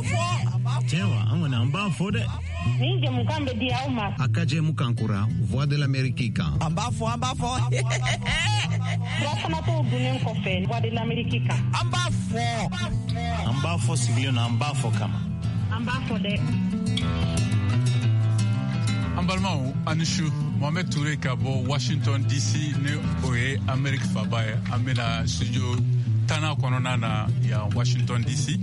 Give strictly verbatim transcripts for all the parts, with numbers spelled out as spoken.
fɔ. Cɛwa, an kɔni an b'a fɔ dɛ. Nin jɛmukan bɛ di aw ma. A ka jɛmukan kura Voix de l'Amérique kan. An b'a fɔ, an b'a fɔ. Furafanatɔw dunnen kɔfɛ Voix de l'Amérique kan. An b'a fɔ. An b'a fɔ sigilen na, an b'a fɔ kama. An b'a fɔ dɛ. An balimaw, a ni su. Mohamed Touré ka bɔ Washington D C, ni o ye Amérique faba ye. An bɛna studio tanna kɔnɔna na yan Washington D C.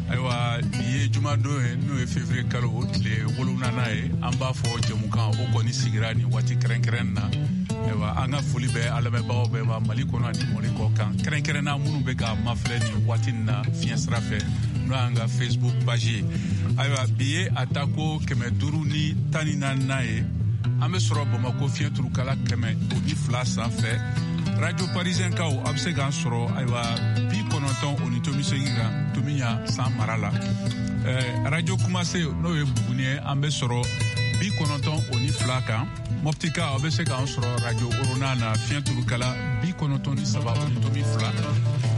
Ayiwa, bi ye jumadon ye, n'o ye février kalo o tile wolonwulanan ye. An b'a fɔ jɛmukan o kɔni sigira nin waati kɛrɛnkɛrɛn na. Ayiwa, an ka foli bɛ an lamɛnbagaw bɛɛ ma Mali kɔnɔ ani Mali kɔ kan, kɛrɛnkɛrɛnna minnu bɛ ka mafilɛ nin waati nin na fiɲɛ sira fɛ, n'o y'an ka Facebook page ye. Ayiwa, bi ye a tako kɛmɛ duuru ni tan ni naaninan ye. An bɛ sɔrɔ Bamako fiɲɛ turukala kɛmɛ o ni fila sanfɛ. Radio Parisien kaw, a bɛ se k'an sɔrɔ, ayiwa, bi kɔnɔntɔn o ni tomi seegin kan Tomiɲa san mara la. ɛɛ radio Kumase, n'o ye Buguni ye, an bɛ sɔrɔ bi kɔnɔntɔn o ni fila kan. Mɔptika, aw bɛ se k'an sɔrɔ radio Orona na fiɲɛ turukala bi kɔnɔntɔn ni saba o ni tomi fila.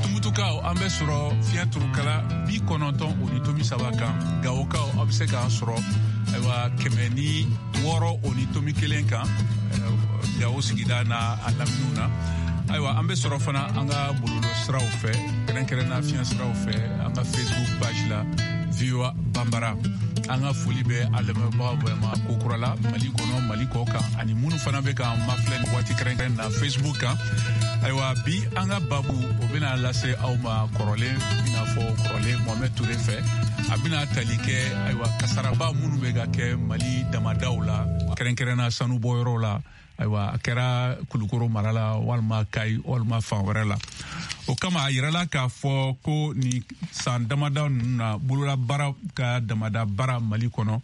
Tumutukaw, an bɛ sɔrɔ fiɲɛ turukala bi kɔnɔntɔn o ni tomi saba kan. Gawokaw, aw bɛ se k'an sɔrɔ, ayiwa, kɛmɛ ni wɔɔrɔ o ni tomi kelen kan, Gawo sigida n'a a laminiw na. Ayiwa, an bɛ sɔrɔ fana an ka bɔlɔlɔ siraw fɛ, kɛrɛnkɛrɛnna fiɲɛ siraw fɛ, an ka Facebook page la, V O A Banbara. An ka foli bɛ a lamɛnbagaw bɛɛ ma kokura la Mali kɔnɔ, Mali kɔ kan, ani minnu fana bɛ k'an mafilɛ nin waati kɛrɛnkɛrɛn na Facebook kan. Ayiwa, bi an ka babu o bɛna lase aw ma kɔrɔlen, i n'a fɔ kɔrɔlen, Mohamed Touré fɛ. A bɛna tali kɛ, ayiwa, kasaraba minnu bɛ ka kɛ Mali damadaw la, kɛrɛnkɛrɛnna sanubɔyɔrɔw la. Ayiwa, a kɛra Kulukoro mara la, walima Kayi, walima fan wɛrɛ la. O kama, a yirala k'a fɔ ko nin san damada ninnu na, bololabaara ka damada baara Mali kɔnɔ,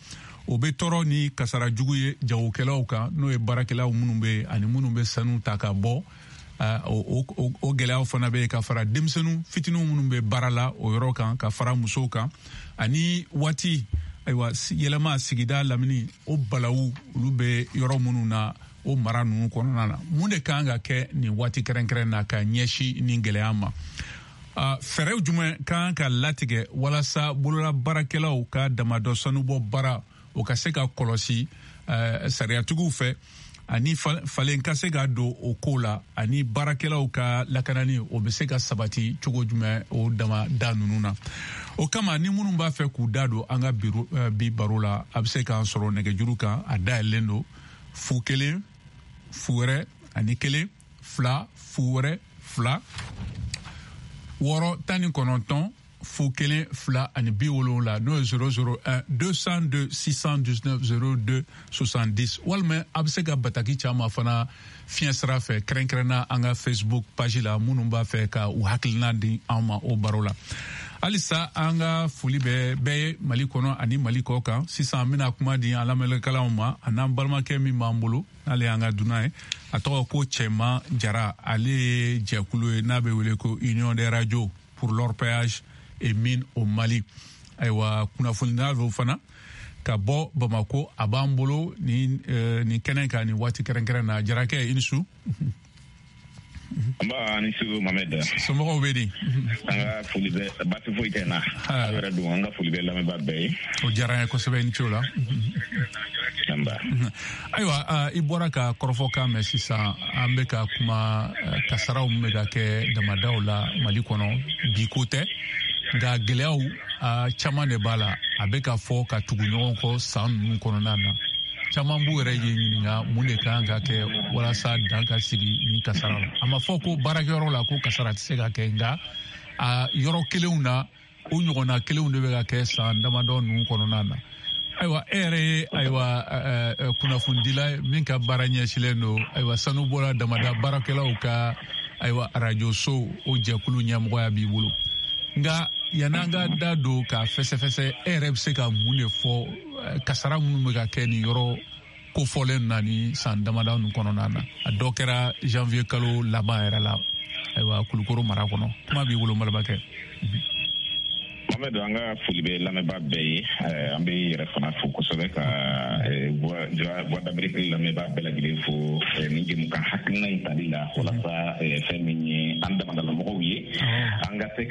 o bɛ tɔɔrɔ ni kasara jugu ye jagokɛlaw kan, n'o ye baarakɛlaw minnu bɛ ani minnu bɛ sanu ta ka bɔ. O gɛlɛyaw fana bɛ yen, ka fara denmisɛnnin fitininw minnu bɛ baara la o yɔrɔ kan, ka fara musow kan, ani waati, ayiwa, yɛlɛma sigida lamini o balawu olu bɛ yɔrɔ minnu na o mara ninnu kɔnɔna na. Mun de kan ka kɛ nin waati kɛrɛnkɛrɛn na ka ɲɛsin nin gɛlɛya ma? Fɛɛrɛw jumɛn kan ka latigɛ walasa bolola baarakɛlaw ka damadɔ sanubɔ baara o ka se ka kɔlɔsi sariyatigiw fɛ, ani falen ka se ka don o ko la, ani baarakɛlaw ka lakanani o bɛ se ka sabati cogo jumɛn o dama da ninnu na? O kama, ni minnu b'a fɛ k'u da don an ka bi baro la, a bɛ se k'an sɔrɔ nɛgɛjuru kan. A dayɛlɛlen don: fu kelen fu wɛrɛ ani kelen fila fu wɛrɛ fila wɔɔrɔ tan ni kɔnɔntɔn fu kelen fila ani bi wolonwula, n'o ye zéro zéro un deux cent deux six cent dix-neuf zéro deux soixante-dix. Walima a bɛ se ka bataki caman fana fiɲɛ sira fɛ, kɛrɛnkɛrɛnna an ka Facebook page la, minnu b'a fɛ ka u hakilina di an ma o baro la. Halisa, an ka foli bɛ bɛɛ ye Mali kɔnɔ ani Mali kɔ kan. Sisan, an bɛna kuma di an lamɛnnikɛlaw ma, a n'an balimakɛ min b'an bolo, n'ale y'an ka dunan ye, a tɔgɔ ko Cɛman Jara. Ale ye jɛkulu ye n'a bɛ wele ko Union des radios pour l'orpaillage et mine au Mali. Ayiwa, kunnafonidila don fana ka bɔ Bamako. A b'an bolo ni nin kɛnɛ kan nin waati kɛrɛnkɛrɛn na. Jarakɛ, i ni su. Nba, ni su, Mohamed. Somɔgɔw bɛ di? An ka foli bɛ, baasi foyi tɛ n na. Aw yɛrɛ dun? An ka foli bɛ lamɛnbaa bɛɛ ye. O diyara n ye kosɛbɛ, i ni ce o la. Nba. Ayiwa, i bɔra ka kɔrɔfɔkan mɛn sisan. An bɛ ka kuma kasaraw min bɛ ka kɛ damadaw la Mali kɔnɔ. Bi ko tɛ, nka gɛlɛyaw caman de b'a la. A bɛ ka fɔ ka tugu ɲɔgɔn kɔ san ninnu kɔnɔna na. Caman b'u yɛrɛ ye ɲininka mun de kan ka kɛ walasa dan ka sigi nin kasara la. A ma fɔ ko baarakɛyɔrɔ la ko kasara tɛ se ka kɛ, nka a yɔrɔ kelenw na, o ɲɔgɔnna kelenw de bɛ ka kɛ san damadɔ ninnu kɔnɔna na. Ayiwa, e yɛrɛ ye, ayiwa, kunnafonidila min ka baara ɲɛsilen don, ayiwa, sanubɔla damada baarakɛlaw ka, ayiwa, arajoso o jɛkulu ɲɛmɔgɔya b'i bolo. Nka yan'an ka da don k'a fɛsɛfɛsɛ, e yɛrɛ bɛ se ka mun de fɔ kasara minnu bɛ ka kɛ nin yɔrɔ kofɔlen na ni san damadɔ ninnu kɔnɔna na? A dɔ kɛra janvier kalo laban yɛrɛ la, ayiwa, Kulukoro mara kɔnɔ. Kuma b'i bolo, n balimakɛ. Mohamed, an ka foli bɛ lamɛnbaa bɛɛ ye. An bɛ yɛrɛ fana fo kosɛbɛ, ka Voix d'Amérique lamɛnbaa bɛɛ lajɛlen fo nin jɛmukan hakilina in tali la, walasa fɛn min ye an damadalamɔgɔw ye, an ka se ka